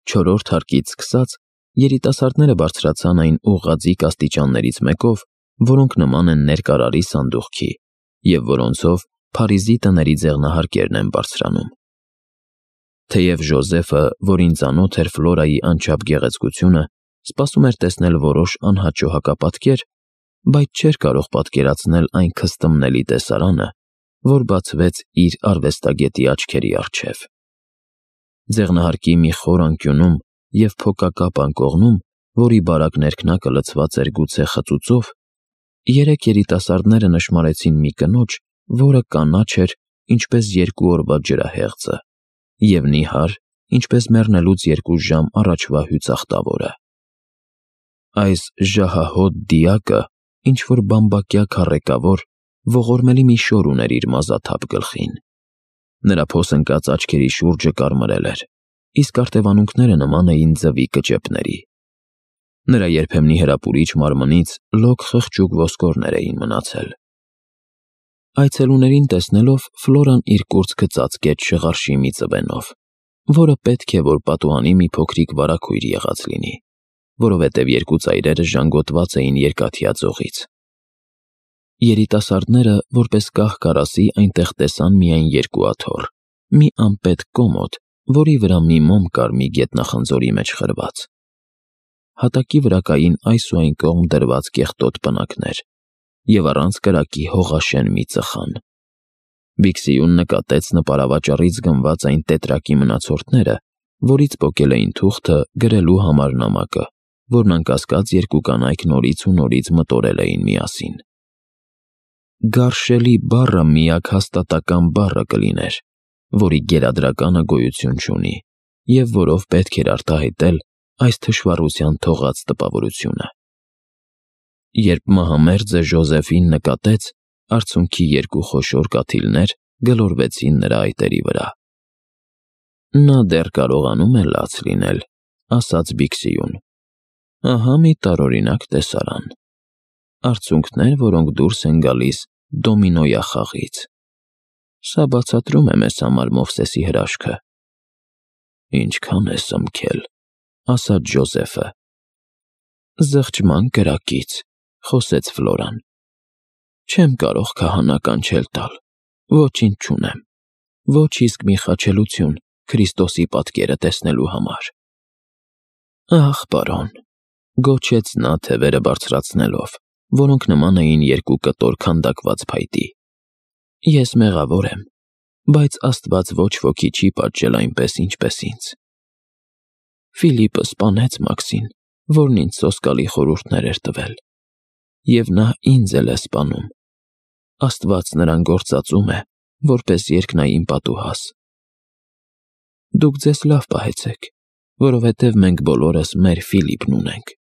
Չորրորդ հարկից սկսած երիտասարդները բարձրացան այն ուղղաձիգ աստիճաններից մեկով, որոնք նման են ներկարարի սանդուղքի, և որոնցով Փարիզի տների ձեղնահարկերն են բարձրանում։ Թեև Ժոզեֆը, որին ծանոթ էր Ֆլորայի անչափ գեղեցկությունը, սպասում էր տեսնել որոշ անհաճո հակապատկեր, բայց չէր կարող պատկերացնել այն քստմնելի տեսարանը, որ բացվեց իր արվեստագետի աչքերի առջև։ Ձեղնահարկի մի խոր անկյունում և փոկակապ անկողնում, որի բարակ ներքնակը լցված էր գուցե խծուծով, երեք երիտասարդները նշմարեցին մի կնոջ, որը կանաչ էր, ինչպես 2 օրվա ջրահեղձը, և նիհար, ինչպես մեռնելուց 2 ժամ առաջվա հյուսախտավորը։ Այս ժահահոտ դիակը ինչ-որ բամբակյա քառեկավոր, ողորմելի մի շոր ուներ իր մազաթափ գլխին։ Նրա փոսընկած աչքերի շուրջը կարմրել էր, իսկ արտևանունքները նման էին ձվի կճեպների։ Նրա երբեմնի հրապուրիչ մարմնից լոկ խղճուկ ոսկորներ էին մնացել։ Այցելուներին տեսնելով Ֆլորան իր կուրծքը ծածկեց շղարշի մի ծվենով, որը պետք է, որ պատուհանի մի փոքրիկ վարագույր եղած լինի, որովհետև 2 ծայրերը ժանգոտված էին երկաթյա ձողից։ Երիտասարդները, որպես կահ-կարասի, այնտեղ տեսան միայն 2 աթոռ, մի անպետք կոմոդ, որի վրա մի մոմ կար մի գետնախնձորի մեջ խրված։ Հատակի վրա կային այս ու այն կողմ դրված կեղտոտ պնակներ և առանց կրակի հողաշեն մի ծխան։ Բիքսիուն նկատեց նպարավաճառից գնված այն տետրակի մնացորդները, որից պոկել էին թուղթը գրելու համար նամակը, որն անկասկած 2 կանայք նորից ու նորից մտորել էին միասին։ Գարշելի բառը միակ հաստատակամ բառը կլիներ, որի գերադրականը գոյություն չունի, և որով պետք էր արտահայտել այս թշվառության թողած տպավորությունը։ Երբ մահամերձը Ժոզեֆին նկատեց, արցունքի 2 խոշոր կաթիլներ գլորվեցին նրա այտերի վրա։ Նա դեռ կարողանում է լաց լինել, ասաց Բիքսիուն։ Ահա մի տարօրինակ տեսարան։ Արցունքներ, որոնք դուրս են գալիս դոմինոյախաղից։ Սա բացատրում է մեզ համար Մովսեսի հրաշքը։ Ինչքան է սմքել, ասաց Ժոզեֆը։ Զղջման կրակից, խոսեց Ֆլորան։ Չեմ կարող քահանա կանչել տալ, ոչինչ չունեմ, ոչ իսկ մի խաչելություն Քրիստոսի պատկերը տեսնելու համար։ Ահ, պարոն, գոչեց նա թևերը բարձրացնելով, որոնք նման էին 2 կտոր քանդակված փայտի։ Ես մեղավոր եմ, բայց Աստված ոչ ոքի չի պատժել այնպես, ինչպես ինձ։ Ֆիլիպը սպանեց Մաքսին, որն ինձ սոսկալի խորհուրդներ էր տվել, և նա ինձ էլ է սպանում։ Աստված նրան գործածում է, որպես երկնային պատուհաս։ Դուք ձեզ լավ պահեցեք, որովհետև մենք բոլորս մեր Ֆիլիպն ունենք։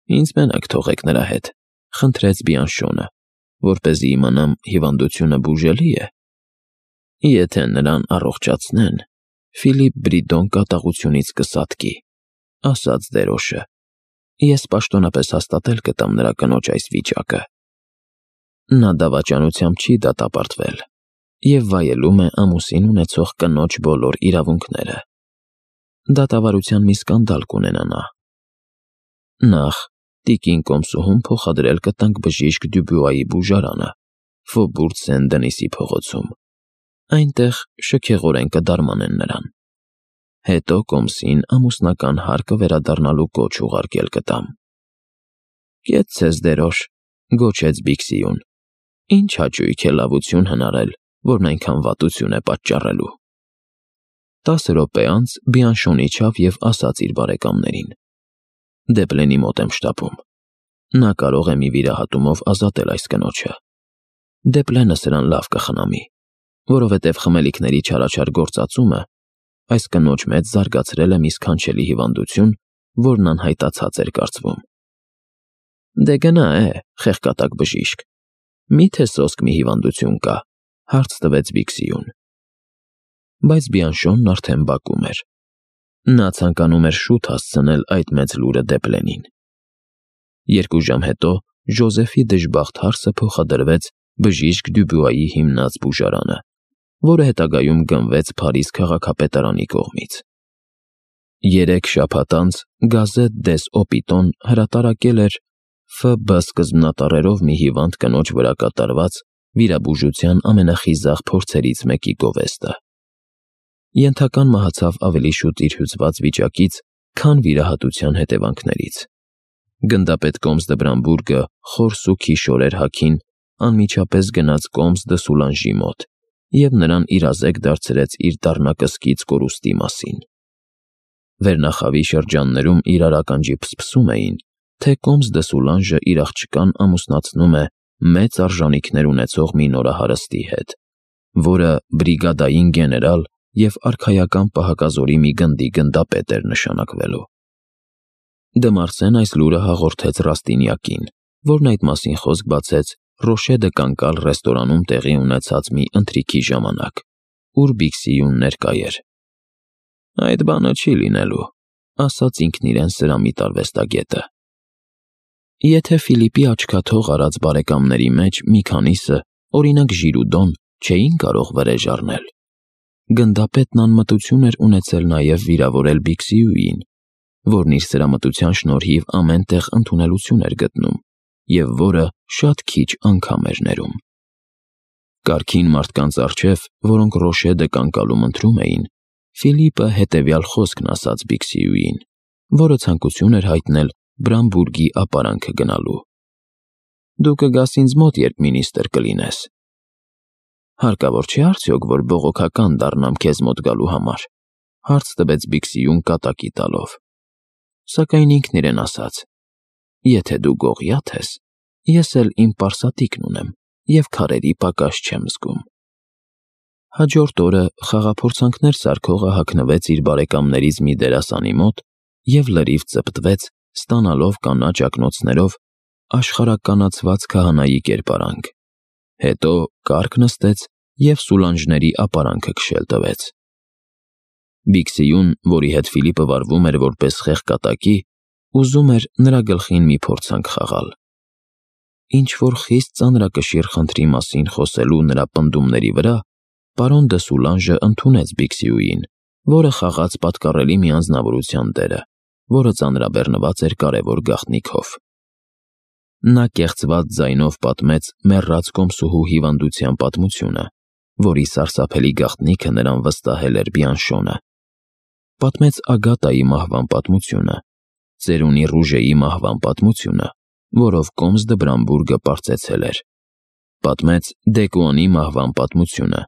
Ինձ մենակ թողեք նրա հետ, խնդրեց Բիանշոնը, որպեսզի իմանամ հիվանդությունը բուժելի է։ Եթե նրան առողջացնեն, Ֆիլիպ Բրիդոն կատաղությունից կսատկի, ասաց դերոշը։ Ես պաշտոնապես հաստատել կտամ նրա կնոջ այս վիճակը։ Նա դավաճանությամբ չի դատապարտվել և վայելում է ամուսին ունեցող կնոջ բոլոր իրավունքները։ Դատավարության մի սկանդալ կունենա նա։ Նախ տիկին Կոմսուհուն փոխադրել կտանք բժիշկ Դյուբյուայի բուժարանը, Ֆոբուրտ Սեն-Դենիսի փողոցում։ Այնտեղ շքեղորեն կդարմանեն նրան։ Հետո Կոմսին ամուսնական հարկը վերադառնալու կոչ ուղարկել կտամ։ Կեցցես դերոշ, գոչեց Բիքսիուն։ Ինչ հաճույք է լավություն հնարել, որն այնքան վատություն է պատճառելու։ 10 րոպե անց Բիանշոն իջավ և ասաց իր բարեկամներին. Դեպլենի մոտ եմ շտապում։ Նա կարող է մի վիրահատումով ազատել այս կնոջը։ Դեպլենը սրան լավ կխնամի, որովհետև խմելիքների չարաչար գործածումը այս կնոջ մեջ զարգացրել է մի սքանչելի հիվանդություն, որն անհայտացած էր կարծվում։ Դե գնա խեղկատակ բժիշկ։ Միթե սոսկ մի հիվանդություն կա, հարց տվեց Բիքսիուն։ Բայց Բիանշոնն արդեն բակում էր։ Նա ցանկանում էր շուտ հասցնել այդ մեծ լուրը Դեպլենին։ 2 ժամ հետո Ժոզեֆի դժբախտ հարսը փոխադրվեց բժիշկ Դյուբյուայի հիմնած բուժարանը, որը հետագայում գնվեց Փարիզ քաղաքապետարանի կողմից։ 3 շաբաթ անց Գազետ դես Օպիտոն հրատարակել էր ՖԲ սկզբնատառերով մի հիվանդ կնոջ վրա կատարված վիրաբուժության ամենախիզախ փորձերից մեկի գովեստը։ Ենթական մահացավ ավելի շուտ իր հյուծված վիճակից, քան վիրահատության հետևանքներից։ Գնդապետ Կոմս դը Բրամբուրգը խոր սուգի շորեր հագին անմիջապես գնաց Կոմս դը Սուլանժի մոտ և նրան իրազեկ դարձրեց իր դառնակսկիծ կորուստի մասին։ Վերնախավի շրջաններում իրար ականջի փսփսում էին, թե Կոմս դը Սուլանժը իր աղջկան ամուսնացնում է մեծ արժանիքներ ունեցող մի նորահարստի հետ, որը բրիգադային գեներալ և արքայական պահակազորի մի գնդի գնդապետ էր նշանակվելու։ Դը Մարսեն այս լուրը հաղորդեց Ռաստինյակին, որն այդ մասին խոսք բացեց Ռոշե դը Կանկալ ռեստորանում տեղի ունեցած մի ընթրիքի ժամանակ, ուր Բիքսիյուն ներկա էր։ «Այդ բանը չի լինելու», ասաց ինքն իրեն սրամիտ արվեստագետը։ Եթե Ֆիլիպի աչքաթող արած բարեկամների մեջ մի քանիսը, օրինակ Ժիրուդոն, չէին կարող վրեժ առնել, գնդապետն անմտություն էր ունեցել նաև վիրավորել Բիքսիյուին, որն իր սրամտության շնորհիվ ամեն տեղ ընդունելություն էր գտնում և որը շատ քիչ անգամ էր ներում։ Կարգին մարդկանց առջև, որոնք Ռոշե դը Կանկալում ընթրում էին, Ֆիլիպը հետևյալ խոսքն ասաց Բիքսիյուին, որը ցանկություն էր հայտնել Բրամբուրգի ապարանքը գնալու. «Դու կգաս ինձ մոտ, երբ մինիստրը կլինես»։ «Հարկավոր չէ արդյոք, որ բողոքական դառնամ քեզ մոտ գալու համար», հարց տվեց Բիքսիյուն կատակի տալով։ Սակայն ինքն իրեն ասաց. «Եթե դու գողիաթ ես, ես էլ իմ պարսատիկն ունեմ և քարերի պակաս չեմ զգում»։ Հաջորդ օրը խաղափորձանքներ սարքողը հագնվեց իր բարեկամներից մի դերասանի մոտ և լրիվ ծպտվեց, ստանալով կանաչ ակնոցներով աշխարհականացված քահանայի կերպարանք։ Հետո կառք նստեց և Սուլանժների ապարանքը քշել տվեց։ Բիքսիյուն, որի հետ Ֆիլիպը վարվում էր որպես խեղկատակի, ուզում էր նրա գլխին մի փորձանք խաղալ։ Ինչ-որ խիստ ծանրակշիռ խնդրի մասին խոսելու նրա պնդումների վրա պարոն դը Սուլանժը ընդունեց Բիքսիյուին, որը խաղաց պատկառելի մի անձնավորության դերը, որը ծանրաբեռնված էր կարևոր գաղտնիքով։ Նա կեղծված ձայնով պատմեց մեռած կոմսուհու հիվանդության պատմությունը, որի սարսափելի գաղտնիքը նրան վստահել էր Բյանշոնը։ Պատմեց Ագատայի մահվան պատմությունը, ծերունի Ռուժեի մահվան պատմությունը, որով Կոմս դը Բրամբուրգը պարծեցել էր։ Պատմեց Դեկուանի մահվան պատմությունը,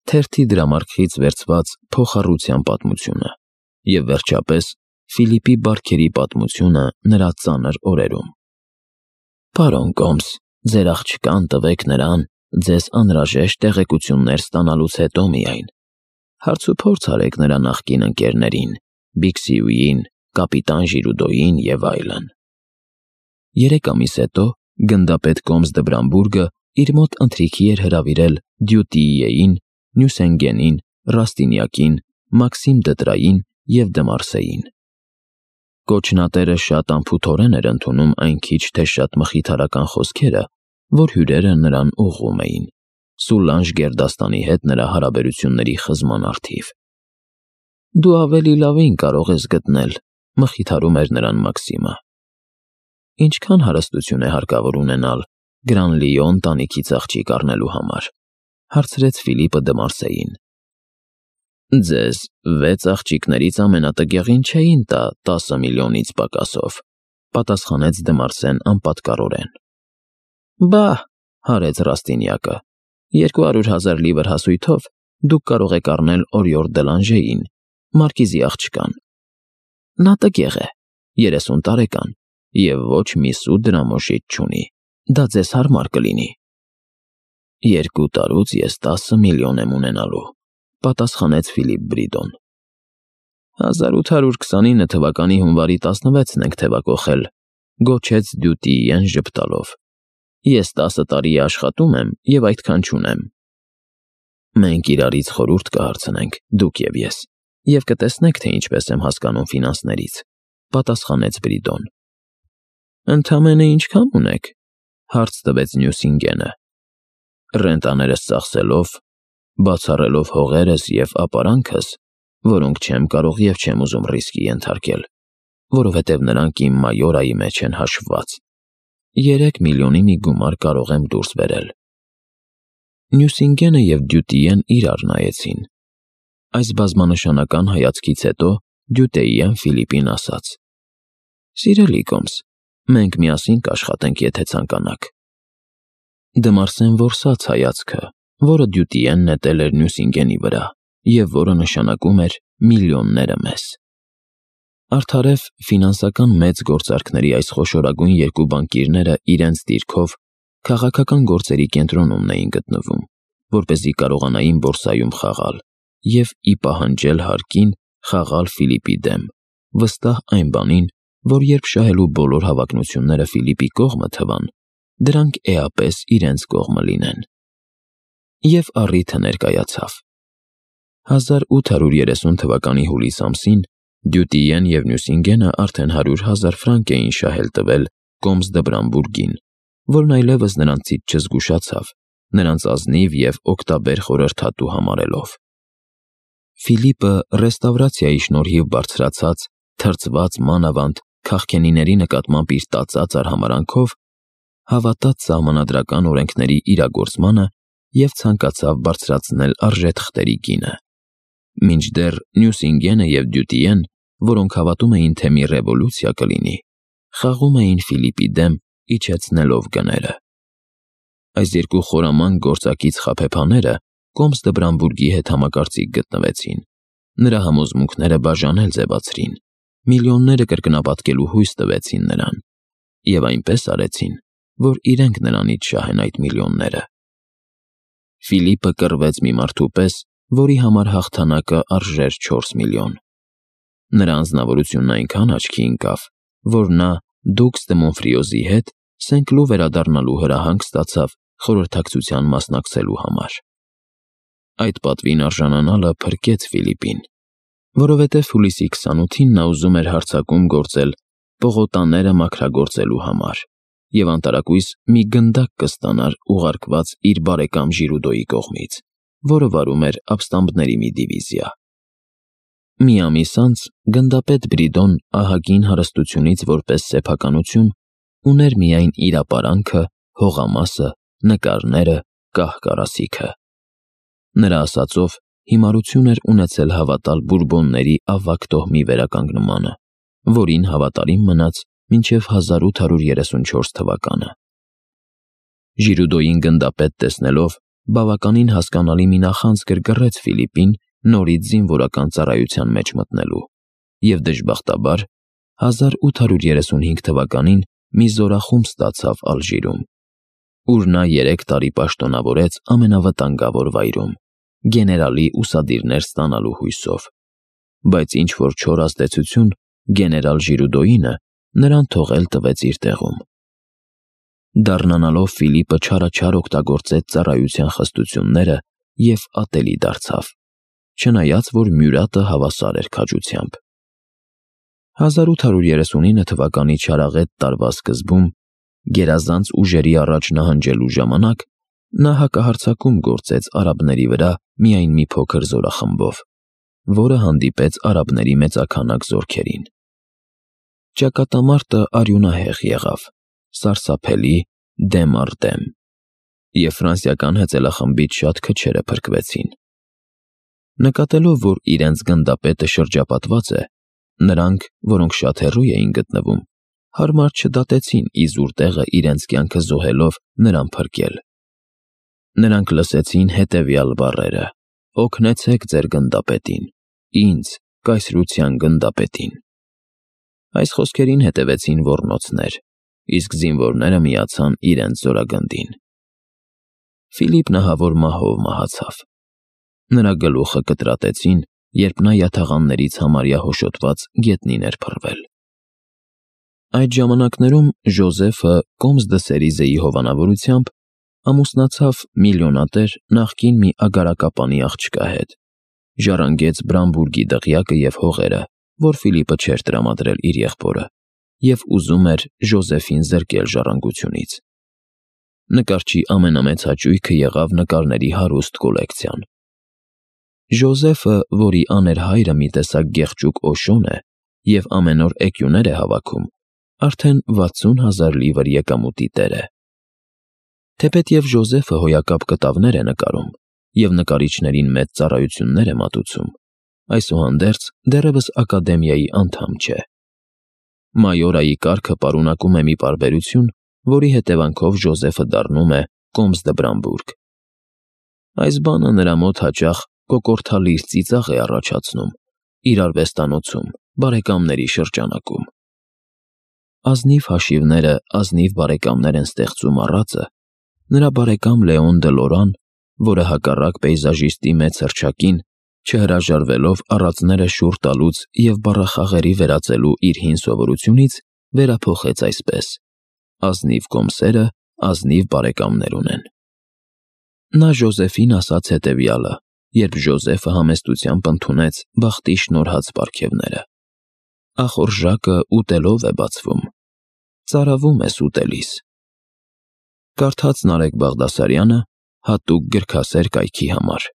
թերթի դրամարկղից վերցված փոխառության պատմությունը և վերջապես Ֆիլիպի բարքերի պատմությունը նրա ծանր օրերում։ «Պարոն Կոմս, ձեր աղջկան տվեք նրան, ձեզ անհրաժեշտ տեղեկություններ ստանալուց հետո միայն։ Հարցուփորձ արեք նրա նախկին ընկերներին, Բիքսիյուին, կապիտան Ժիրուդոյին և այլն»։ 3 ամիս հետո գնդապետ Կոմս դը Բրամբուրգը իր մոտ ընթրիքի էր հրավիրել Դյուտիիեին, Նյուսենգենին, Ռաստինյակին, Մաքսիմ Դտրային և դը Մարսեին։ Կոչնատերը շատ անփութորեն էր ընդունում այն քիչ թե շատ մխիթարական խոսքերը, որ հյուրերը նրան ուղղում էին, Սուլանժ գերդաստանի հետ նրա հարաբերությունների խզման առթիվ։ «Դու ավելի լավին կարող ես գտնել», մխիթարում էր նրան Մաքսիմը։ «Ինչքան հարստություն է հարկավոր ունենալ Գրանլիո ընտանիքից աղջիկ առնելու համար», հարցրեց Ֆիլիպը դը Մարսեին։ «Ձեզ 6 աղջիկներից ամենատգեղին չէին տա 10 միլիոնից պակասով», պատասխանեց դը Մարսեն անպատկառորեն։ «Բա՛հ», հարեց Ռաստինյակը, 200,000 լիվր հասույթով դուք կարող եք առնել Օրիոր դը Լանժեին, մարկիզի աղջկան։ Նա տգեղ է, 30 տարեկան և ոչ մի սու դրամոշիչ չունի, դա ձեզ հարմար կլինի»։ 2 տարուց ես 10 միլիոն եմ ունենալու, պատասխանեց Ֆիլիպ Բրիդոն։ 1829 թվականի հունվարի 16-ն ենք թևակոխել, գոչեց Դյուտիիեն ժպտալով։ Ես 10 տարի է աշխատում եմ և այդքան չունեմ։ Մենք իրարից խորհուրդ կհարցնենք, դուք և ես, և կտեսնեք, թե ինչպես եմ հասկանում ֆինանսներից, պատասխանեց Բրիդոն։ Ընդամենը ինչքան ունեք, հարց տվեց Նյուսինգենը։ Ռենտաներս ծախսելով, բացառելով հողերս և ապարանքս, որոնք չեմ կարող և չեմ ուզում ռիսկի ենթարկել, որովհետև նրանք իմ մայորայի մեջ են հաշվված։ 3 միլիոնի մի գումար կարող եմ դուրս բերել։ Նյուսինգենը և Դյուտիեն իրար նայեցին։ Այս բազմանշանական հայացքից հետո Դյուտեիեն Ֆիլիպին ասաց. «Սիրելի Կոմս, մենք միասին կաշխատենք, եթե ցանկանաք»։ Դմարսեն որսաց հայացքը, որը Դյուտիեն նետել էր Նյուսինգենի վրա, և որը նշանակում էր միլիոնները մեզ։ Արդարև ֆինանսական մեծ գործարքների այս խոշորագույն երկու բանկիրները իրենց դիրքով քաղաքական գործերի կենտրոնում էին գտնվում, որպեսզի կարողանային բորսայում խաղալ և ի պահանջել հարկին խաղալ Ֆիլիպի դեմ, վստահ այն բանին, որ երբ շահելու բոլոր հավակնությունները Ֆիլիպի կողմը թվան, դրանք էապես իրենց կողմը լինեն։ Եվ առիթը ներկայացավ։ 1830 թվականի հուլիս ամսին Դյուտիեն և Նյուսինգենը արդեն 100,000 ֆրանկ էին շահել տվել Կոմս դը Բրամբուրգին, որն այլևս նրանցից չզգուշացավ, նրանց ազնիվ և օգտաբեր խորհրդատու համարելով։ Ֆիլիպը ռեստավրացիայի շնորհիվ բարձրացած, թրծված մանավանդ քաղքենիների նկատմամբ իր տածած արհամարհանքով հավատաց սահմանադրական օրենքների իրագործմանը և ցանկացավ բարձրացնել արժեթղթերի գինը։ Մինչդեռ Նյուսինգենը և Դյուտիեն, որոնք հավատում էին, թե մի ռևոլյուցիա կլինի, խաղում էին Ֆիլիպի դեմ, իջեցնելով գները։ Այս երկու խորամանկ գործակից խաբեբաները Կոմս դը Բրամբուրգի հետ համակարծիք գտնվեցին, նրա համոզմունքները բաժանել ձևացրին, միլիոնները կրկնապատկելու հույս տվեցին նրան, և այնպես արեցին, որ իրենք նրանից շահեն այդ միլիոնները։ Ֆիլիպը կռվեց մի մարդու պես, որի համար հաղթանակը արժեր 4 միլիոն։ Նրա անձնավորությունն այնքան աչքի ընկավ, որ նա Դուքս դե Մոնֆրիոզի հետ Սենկլու վերադառնալու հրահանգ ստացավ խորհրդակցության մասնակցելու համար։ Այդ պատվին արժանանալը փրկեց Ֆիլիպին, որովհետև հուլիսի 28-ին նա ուզում էր հարձակում գործել պողոտաները մաքրագործելու համար և անտարակույս մի գնդակ կստանար ուղարկված իր բարեկամ Ժիրուդոյի կողմից, որը վարում էր ապստամբների մի դիվիզիա։ Մի ամիս անց գնդապետ Բրիդոն ահագին հարստությունից որպես սեփականություն ուներ միայն իր ապարանքը, հողամասը, նկարները, կահ-կարասիքը։ Նրա ասածով, հիմարություն էր ունեցել հավատալ Բուրբոնների ավագ տոհմի վերականգնմանը, որին հավատարիմ մնաց մինչև 1834 թվականը։ Ժիրուդոյին գնդապետ տեսնելով, բավականին հասկանալի մի նախանձ գրգռեց Ֆիլիպին նորից զինվորական ծառայության մեջ մտնելու, և դժբախտաբար 1835 թվականին մի զորախումբ ստացավ Ալժիրում, ուր նա 3 տարի պաշտոնավորեց ամենավտանգավոր վայրում, գեներալի ուսադիրներ ստանալու հույսով, բայց ինչ-որ չոր ազդեցություն գեներալ Ժիրուդոյինը նրան թողել տվեց իր տեղում։ Դառնանալով Ֆիլիպը չարաչար օգտագործեց ծառայության խստությունները և ատելի դարձավ, չնայած որ Մյուրատը հավասար էր քաջությամբ։ 1839 թվականի չարաղետ տարվա սկզբում, գերազանց ուժերի առաջ նահանջելու ժամանակ, նա հակահարձակում գործեց արաբների վրա միայն մի փոքր զորախմբով, որը հանդիպեց արաբների մեծաքանակ զորքերին։ Ճակատամարտը արյունահեղ եղավ, սարսափելի, դեմ առ դեմ, և ֆրանսիական հեծելախմբից շատ քչերը փրկվեցին։ Նկատելով, որ իրենց գնդապետը շրջապատված է, նրանք, որոնք շատ հեռու էին գտնվում, հարմար չդատեցին իզուր տեղը իրենց կյանքը զոհելով նրան փրկել։ Նրանք լսեցին հետևյալ բառերը. «Օգնեցեք ձեր գնդապետին, ինձ, կայսրության գնդապետին»։ Այս խոսքերին հետևեցին ոռնոցներ, իսկ զինվորները միացան իրենց զորագնդին։ Ֆիլիպ նահավոր մահով մահացավ։ Նրա գլուխը կտրատեցին, երբ նա յաթաղաններից համարյա հոշոտված գետնին էր փռվել։ Այդ ժամանակներում Ժոզեֆը Կոմս դը Սերիզեի հովանավորությամբ ամուսնացավ միլիոնատեր նախկին մի ագարակապանի աղջկա հետ, ժառանգեց Բրամբուրգի դղյակը և հողերը, որ Ֆիլիպը չէր տրամադրել իր եղբորը, և ուզում էր Ժոզեֆին զրկել ժառանգությունից։ Նկարչի ամենամեծ հաճույքը եղավ նկարների հարուստ կոլեկցիան։ Ժոզեֆը, որի աներհայրը մի տեսակ գեղջուկ Օշոն է և ամեն օր էկյուներ է հավաքում, արդեն 60,000 լիվր եկամուտի տեր է։ Թեպետև Ժոզեֆը հոյակապ կտավներ է նկարում և նկարիչներին մեծ ծառայություններ է մատուցում, այսուհանդերձ դեռևս ակադեմիայի անդամ չէ։ Մայորայի կարգը պարունակում է մի պարբերություն, որի հետևանքով Ժոզեֆը դառնում է կոմս դը Բրամբուրգ։ Այս բանը նրա մոտ հաճախ կոկորդալից ծիծաղ է առաջացնում իր արվեստանոցում, բարեկամների շրջանակում։ Ազնիվ հաշիվները ազնիվ բարեկամներ են ստեղծում առածը, նրա բարեկամ Լեոն դը Լորան, որը հակառակ պեյզաժիստի մեծ հռչակին, չհրաժարվելով առածները շուռ տալուց և բառախաղերի վերածելու իր հին սովորությունից, վերափոխեց այսպես. ազնիվ կոմսերը ազնիվ բարեկամներ ունեն։ Նա Ժոզեֆին ասաց հետևյալը, երբ Ժոզեֆը համեստությամբ ընդունեց բախտի շնորհած պարգևները. ախորժակը ուտելով է բացվում, ծարավում ես ուտելիս։ Կարդաց Նարեկ Բաղդասարյանը հատուկ գրքասեր կայքի համար։